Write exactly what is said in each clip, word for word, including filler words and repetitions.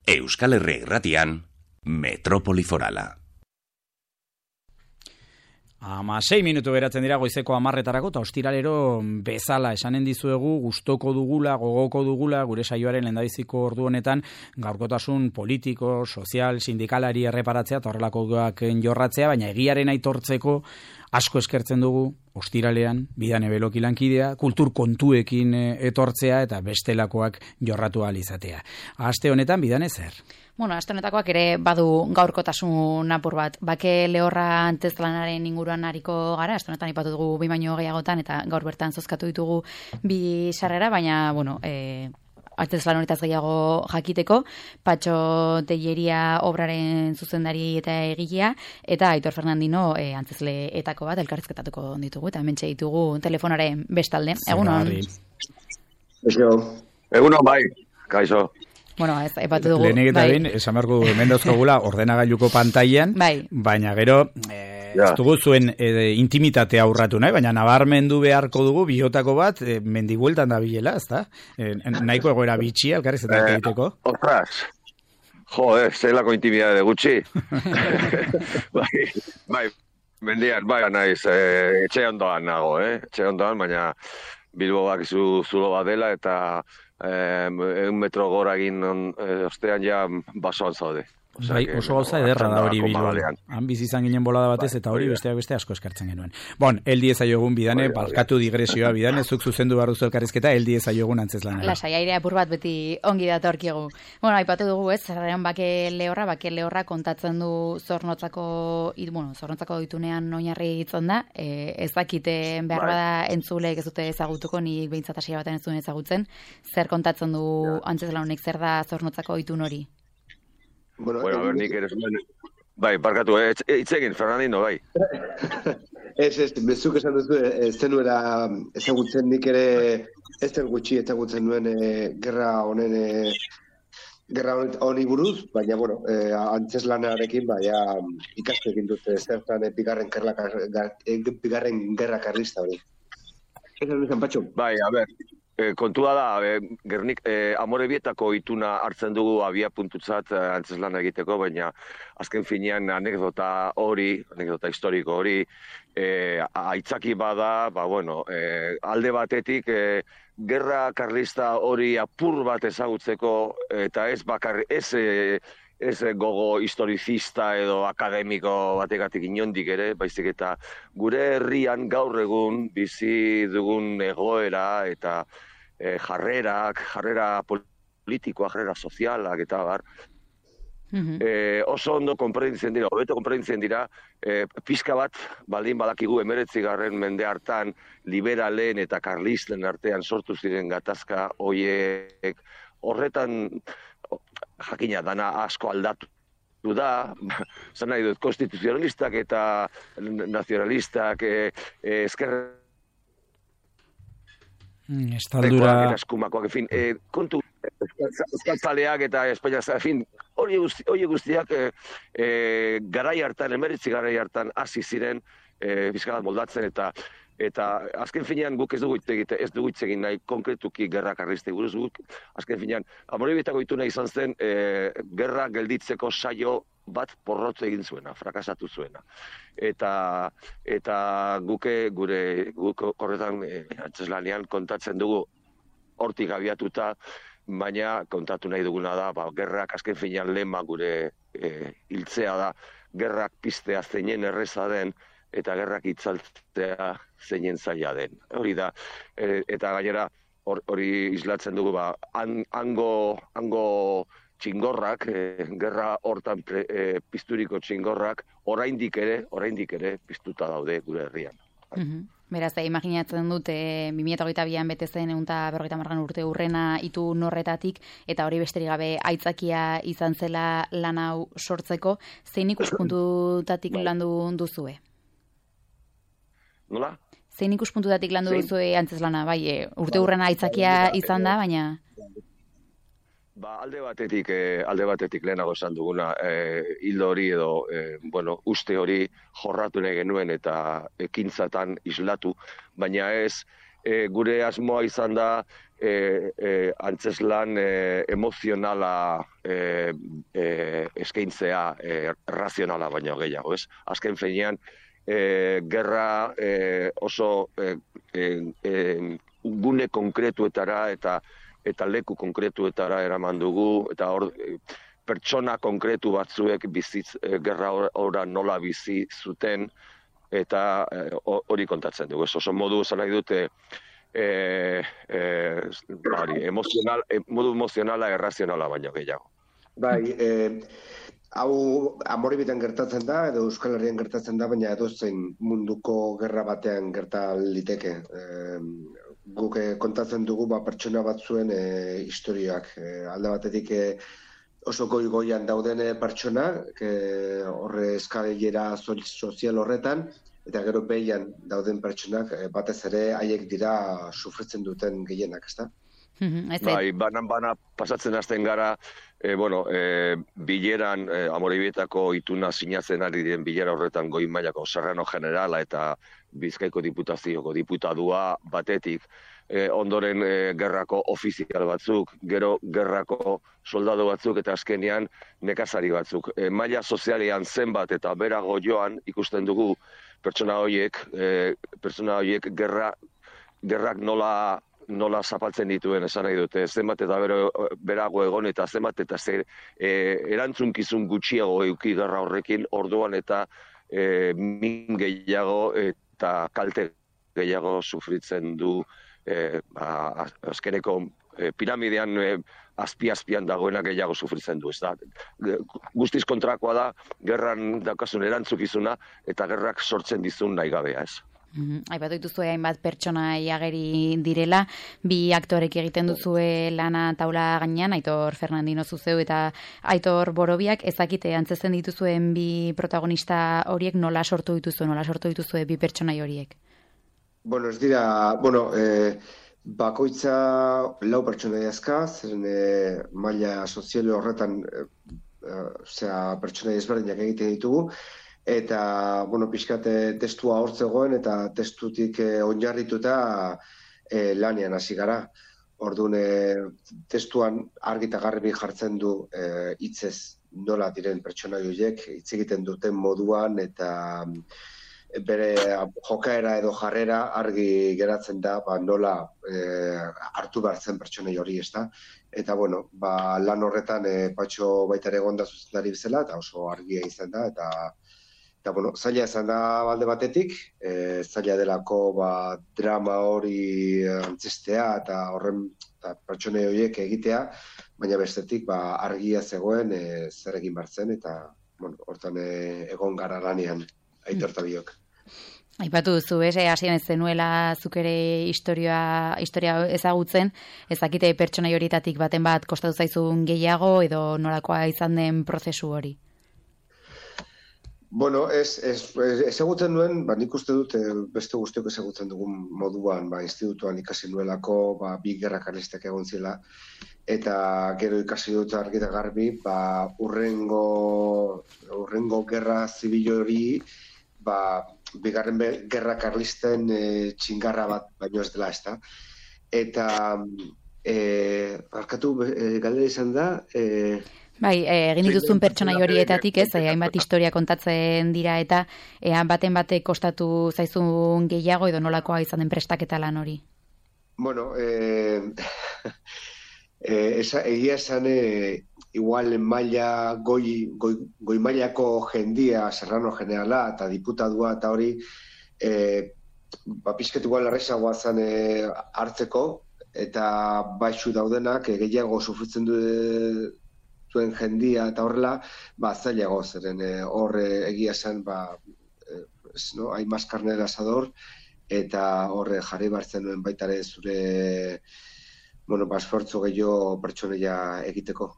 Euskal Herria Irratian, Metropoli Forala. Ama sei minutu geratzen dira goizeko hamarretarako, eta ostiralero bezala esanen dizuegu, gustoko dugula, gogoko dugula, gure saioaren lehendabiziko ordu honetan, gaurkotasun politiko, sozial, sindikalari erreparatzea, eta horrelakoak jorratzea, baina egiaren aitortzeko asko eskertzen dugu, ostiralean, Bidane Beloki lankidea, kultur kontuekin etortzea, eta bestelakoak jorratu ahal izatea. Aste honetan, Bidane zer? Bueno, aste honetakoak ere badu gaurkotasun apur bat. Bake lehorra antzezlanaren inguruan ariko gara, aste honetan ipatu dugu bi baino gehiagotan, eta gaur bertan zozkatu ditugu bi sarrera, baina, bueno, e, antzezlan honetaz gehiago jakiteko, Patxo Telleria obraren zuzendari eta egilea, eta Aitor Fernandino e, antzezleetako bat elkarrizketatuko ditugu, eta hementxe ditugu telefonaren bestalde. Egunon. Egunon, bai, kaixo. Bueno, ez, epatu dugu. Lehenik eta bain, esan beharko dugu, hemen dauzkagula ordenagailuko pantailan, bai. Baina gero, eh, ja. ez dugu zuen eh, intimitatea aurratu nahi, baina nabarmendu beharko dugu bihotako bat, eh, mendigueltan da bilela, ez da? Eh, nahiko egoera bitxia, elkarrizketak eh, egiteko. Ostras, jo, eh, zelako intimidade gutxi. bai, bai, mendian, bai, naiz, eh, etxe ondoan nago, eh? Etxe ondoan, baina Bilbo bakizu zulo bat dela, eta egun metro gora egin ostean ja basoan zaude. Bai, oso gauza ederra da hori Bilboan. Han bizi izan ginen bolada batez, eta hori besteak beste asko eskartzen genuen. Bon, eldi ezaiogun Bidane, barkatu digresioa Bidane, zuk zuzendu barruzu elkarrizketa, eldi ezaiogun antzezlanara. Lasai, aire apur bat beti ongi datorkigu. Bueno, aipatu dugu ez, zerrean bake lehorra, bake lehorra kontatzen du zornotzako, bueno, zornotzako ditunean oinarri hitzon da, e, ez dakite behar bada entzulek ez dute ezagutuko, nik behintzat hasia baten ez duen ezagutzen, zer kontatzen du antzezlan honek, zer da zornotzako ditun hori? Bueno, bueno, a ver, nik ere zuen... Bai, barkatu, itzegin, Fernandino, bai. Ez, ez, bezuk esan duzu, ez zenuera ezagutzen nik ere, ez den gutxi ezagutzen duen e, gerra honen, e, gerra honi buruz, baina, bueno, e, antzeslanarekin, baina ikastekin dute zertan e, bigarren, gerla, e, bigarren gerra karlista hori. Ez da nizan, Patxo? Bai, a ber... E, kontua da, e, Gernik, e, Amorebietako ituna hartzen dugu abia puntutzat e, antzeslana egiteko, baina azken finean anekdota hori, anekdota historiko hori, e, aitzaki bada, ba, bueno, e, alde batetik, e, gerra karlista hori apur bat ezagutzeko, eta ez bakar, ez... E, ez gogo historizista edo akademiko bategatik inondik ere, baizik eta gure herrian gaur egun bizi dugun egoera eta e, jarrerak, jarrera politikoa, jarrera sozialak eta bar, mm-hmm. e, oso ondo konprenditzen dira, hobeto konprenditzen dira, e, pixka bat, baldin badakigu emeretzigarren mende hartan, liberalen eta karlisten artean sortu ziren gatazka hoiek, horretan jakina dana asko aldatu da, zan nahi dut, konstituzionalistak eta nazionalistak e, e, eskerra mm, estaldura eskumakoak, en fin, e, kontu euskaltzaleak eta Espainia, en fin, hori guzti, guztiak e, e, garai hartan, emeritzi garai hartan hasi ziren e, bizkalat moldatzen eta eta azken finean guk ez dugu egite, ez dugu egin nahi konkretuki gerra karlistei buruz guk, azken finean, Amorebietako ituna izan zen e, gerra gelditzeko saio bat porrotze egin zuena, frakasatu zuena. Eta eta guke gure guk horretan e, antzeslanean kontatzen dugu hortik abiatuta, baina kontatu nahi duguna da, ba, gerrak azken finean lema gure e, hiltzea da, gerrak piztea zeinen erreza den, eta gerrak itzaltzea zeinen zaila den. Hori da, e, eta gainera hori islatzen dugu, ba, an, ango, ango txingorrak, e, gerra hortan pre, e, pizturiko txingorrak, oraindik ere, oraindik ere piztuta daude gure herrian. Mm-hmm. Beraz, da, imaginatzen dut, e, bi mila hogeita bian bete zen ehun eta berrogeita hamargarren urte urrena itu norretatik, eta hori besterik gabe aitzakia izan zela lan hau sortzeko, zein ikuspuntutatik landu duzue? Nola? Zein ikuspuntutatik landu duzue antzeslana, bai, e, urte urrena aitzakia izan da, baina... Ba, alde batetik, eh, alde batetik lehenago esan duguna, eh, hildo hori edo, eh, bueno, uste hori jorratu nahi genuen eta ekintzatan islatu, baina ez e, gure asmoa izan da e, e, antzeslan e, emozionala e, e, eskaintzea e, razionala baino gehiago, ez? Azken finean, e, gerra e, oso e, e, e, gune konkretuetara eta eta leku konkretuetara eraman dugu, eta hor pertsona konkretu batzuek bizitz, e, gerra ora nola bizi zuten, eta hori e, kontatzen dugu. Ez oso modu esan nahi dute e, e, bari, emozional, e, modu emozionala errazionala baino gehiago. Bai, e, hau Amoribietan gertatzen da, edo Euskal Herrian gertatzen da, baina edozein munduko gerra batean gerta liteke. E, guk e, kontatzen dugu ba, pertsona batzuen e, historiak. E, alde batetik e, oso goi-goian dauden pertsona, e, horre eskalera sozial horretan, eta gero behian dauden pertsonak e, batez ere haiek dira sufritzen duten gehienak, ezta? Bai, banan-bana pasatzen hasten gara, e, bueno, e, bileran, e, Amoribietako ituna sinatzen ari diren bilera horretan goi mailako Serrano Generala eta Bizkaiko Diputazioko diputadua batetik, e, ondoren e, gerrako ofizial batzuk, gero gerrako soldadu batzuk eta azkenean nekazari batzuk. E, maila sozialean zenbat eta berago joan ikusten dugu pertsona horiek, e, pertsona horiek gerra, gerrak nola nola zapaltzen dituen esan nahi dute, zenbat eta bero, berago egon eta zenbat eta zer, e, erantzunkizun gutxiago euki gerra horrekin orduan eta e, min gehiago eta kalte gehiago sufritzen du e, ba, azkeneko e, piramidean e, azpi-azpian dagoena gehiago sufritzen du. Ez da? Guztiz kontrakoa da, gerran daukasun erantzukizuna eta gerrak sortzen dizun nahi gabea, ez? Mm-hmm. Aipatu dituzue hainbat pertsona ageri direla, bi aktorek egiten duzue lana taula gainean, Aitor Fernandino zuzeu eta Aitor Borobiak, ezakite antzesten dituzuen bi protagonista horiek nola sortu dituzue, nola sortu dituzue bi pertsonai horiek? Bueno, ez dira, bueno, eh, bakoitza lau pertsonai azka, zeren eh, maila soziale horretan eh, osea, pertsonai ezberdinak egiten ditugu, eta, bueno, pixkate testua hortzegoen eta testutik eh, oinarrituta eh, lanean hasi gara. Orduan, eh, testuan argi eta garbi jartzen du eh, hitzez nola diren pertsonai horiek, hitz egiten duten moduan eta bere jokaera edo jarrera argi geratzen da ba, nola eh, hartu behar zen pertsonai hori, ezta? Eta, bueno, ba, lan horretan eh, Patxo baita ere egon da zuzendari bezala, eta oso argia izan da, eta Eta, bueno, zaila izan da balde batetik, e, zaila delako ba, drama hori antzestea eta horren eta pertsone horiek egitea, baina bestetik ba, argia zegoen e, zer egin bartzen eta bueno, hortan e, egon gara lanean Aitor eta biok. Aipatu duzu, ez, hasieran ez zenuela zuk ere historia, historia ezagutzen, ezakite pertsonai horietatik baten bat kostatu zaizun gehiago edo norakoa izan den prozesu hori? Bueno, ez, ez, ezagutzen nuen, ba, nik uste dut beste guztiok ezagutzen dugun moduan, ba, institutuan ikasi nuelako, ba, bi gerra karlistak egon zela, eta gero ikasi dut argi eta garbi, ba, urrengo, urrengo gerra zibil hori, ba, bigarren be, gerra karlisten e, txingarra bat baino ez dela, ezta. Eta, e, barkatu, e, galdera izan da, e, Bai, egin dituzun pertsonai horietatik, ez, hainbat historia kontatzen dira eta ea baten batek kostatu zaizun gehiago edo nolakoa izan den prestaketa lan hori? Bueno, eh, eh, esa, egia esan eh, igual maila goi, goi, goi mailako jendia, Serrano Generala eta diputadua eta hori eh, ba, pixket igual arrezagoa zen eh, hartzeko eta baixu daudenak eh, gehiago sufritzen du zuen jendia eta horrela, ba, zailago zeren hor e, egia zen, ba, e, ez, no, hain maskarne asador, eta horre jarri bartzen nuen baitare zure, bueno, ba, esfortzu gehiago pertsoneia egiteko.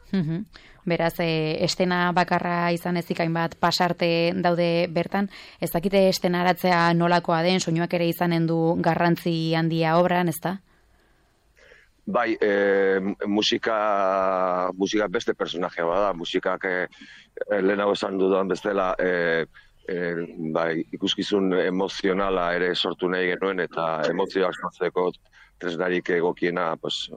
Mm-hmm. Beraz, e, estena bakarra izan ezik hainbat pasarte daude bertan, ez dakite estenaratzea nolakoa den, soinuak ere izanen du garrantzi handia obran, ezta? Bai, e, musika, musika beste personajea bada, musikak e, lehenago esan dudan bestela e, e, ba, ikuskizun emozionala ere sortu nahi genuen, eta emozioak sortzeko tresnarik egokiena, pues,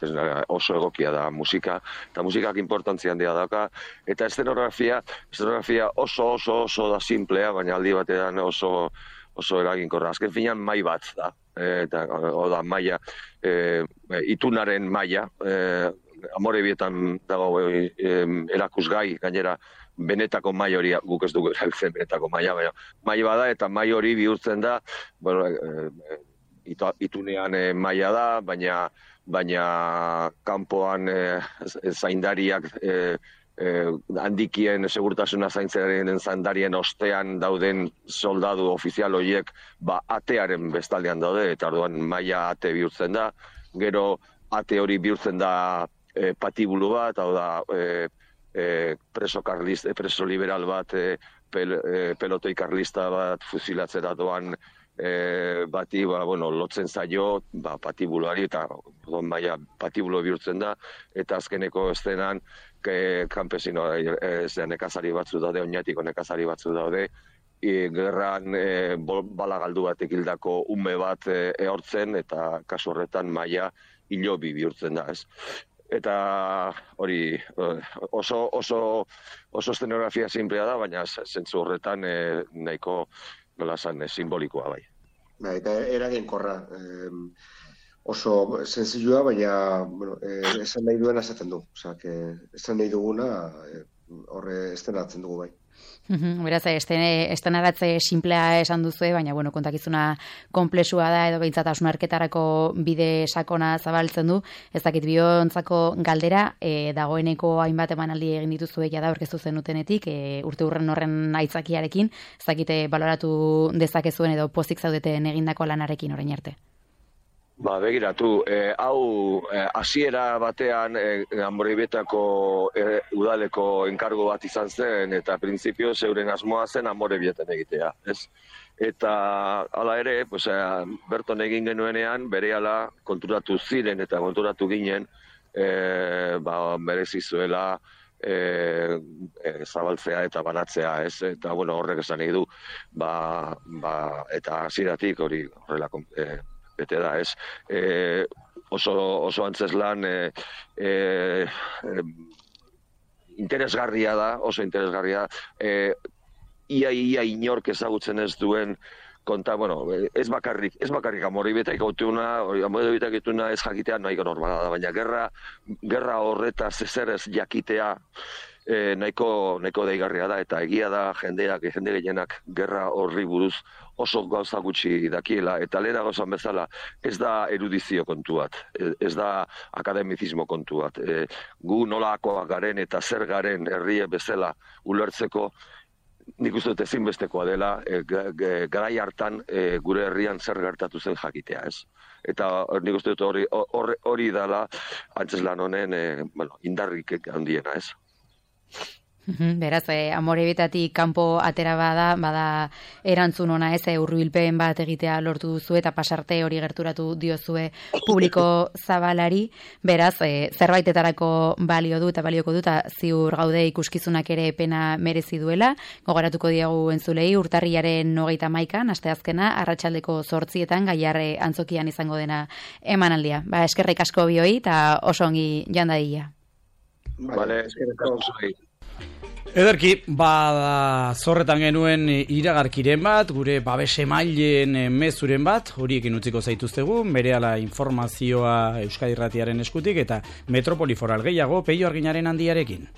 tresnara oso egokia da musika, eta musikak importantzia handia dauka, eta estenografia, estenografia oso oso oso da simplea, baina aldi batean oso oso eraginkorra. Azken finean mai bat da, e, eta oda maila, e, itunaren maila, e, Amore Bietan dago e, e, erakusgai, gainera, benetako mai hori, guk ez dugu erabiltzen benetako maila, baina mai bada, eta mai hori bihurtzen da, bueno, e, itunean e, maila da, baina baina kanpoan e, zaindariak e, e, handikien segurtasuna zaintzaren zaindarien ostean dauden soldadu ofizial horiek ba, atearen bestaldean daude, eta orduan maila ate bihurtzen da, gero ate hori bihurtzen da e, patibulu bat, hau da e, e, preso, karlist, preso liberal bat, e, pel, e, pelotoi karlista bat fusilatzera doan E, bati, ba, bueno, lotzen zaio, ba, patibuloari, eta don maia patibulo bihurtzen da, eta azkeneko estenan, ke, kampesino, e, e, nekazari batzu daude, oinatiko nekazari batzu daude, e, gerran e, bala galdu batek hildako ume bat e, ehortzen, eta kasu horretan maia hilobi bihurtzen da, ez? Eta hori oso, oso, oso estenografia simplea da, baina zentzu horretan e, nahiko nola esan, simbolikoa bai. Ba, eta eraginkorra, eh, oso senzilloa, baina bueno, eh, esan nahi duena esaten du. Osea, que esan nahi duguna eh, horre estenatzen dugu bai. Beraz, estenaratze simplea esan duzu, baina bueno, kontakizuna konplexua da, edo behintzat hausnarketarako bide sakona zabaltzen du. Ez dakit biontzako galdera, e, dagoeneko hainbat emanaldi egin dituzue jada aurkeztu zenutenetik, e, urte urren horren aitzakiarekin, ez dakite baloratu dezakezuen edo pozik zaudeten egindako lanarekin orain arte. Ba, begiratu, eh, hau hasiera eh, batean eh, Amorebietako eh, udaleko enkargo bat izan zen, eta printzipio zeuren asmoa zen Amorebieten egitea, ez? Eta hala ere, pues, eh, berton egin genuenean, berehala konturatu ziren eta konturatu ginen, eh, ba, merezi zuela E, e, zabaltzea eta banatzea, ez? Eta, bueno, horrek esan nahi du, ba, ba, eta hasieratik hori horrela e, bete da, ez? E, oso, oso antzeslan e, e, e, interesgarria da, oso interesgarria, e, ia, ia inork ezagutzen ez duen konta, bueno, ez bakarrik, ez bakarrik Amorebieta ikutuna, Amorebieta ikutuna ez jakitea nahiko normala da, baina gerra, gerra horretaz ezer ez jakitea e, nahiko, nahiko deigarria da, eta egia da jendeak, jende gehienak gerra horri buruz oso gauza gutxi dakiela, eta lehena gauzan bezala ez da erudizio kontu bat, ez da akademizismo kontu bat. E, gu nolakoak garen eta zer garen herrie bezala ulertzeko, nik uste dut ezinbestekoa dela, e, garai hartan e, gure herrian zer gertatu zen jakitea, ez? Eta nik uste dut hori, hori, hori dela antzeslan honen e, bueno, indarrik handiena, ez? Beraz, eh, Amorebietatik kanpo atera bada, bada erantzun ona ez, hurbilpen bat egitea lortu duzu eta pasarte hori gerturatu diozue publiko zabalari. Beraz, eh, zerbaitetarako balio du eta balioko du, eta ziur gaude ikuskizunak ere pena merezi duela. Gogoratuko diagu entzulei, urtarriaren hogeita hamaikan, asteazkena, arratsaldeko zortzietan Gaiarre antzokian izango dena emanaldia. Ba, eskerrik asko bioi eta oso ongi jandaia. Vale, eskerrik asko. Ederki, ba, zorretan genuen iragarkiren bat, gure babes emaileen mezuren bat, horiekin utziko zaituztegu, berehala informazioa Euskadi Irratiaren eskutik eta Metropoli Foral gehiago Peio Arginaren handiarekin.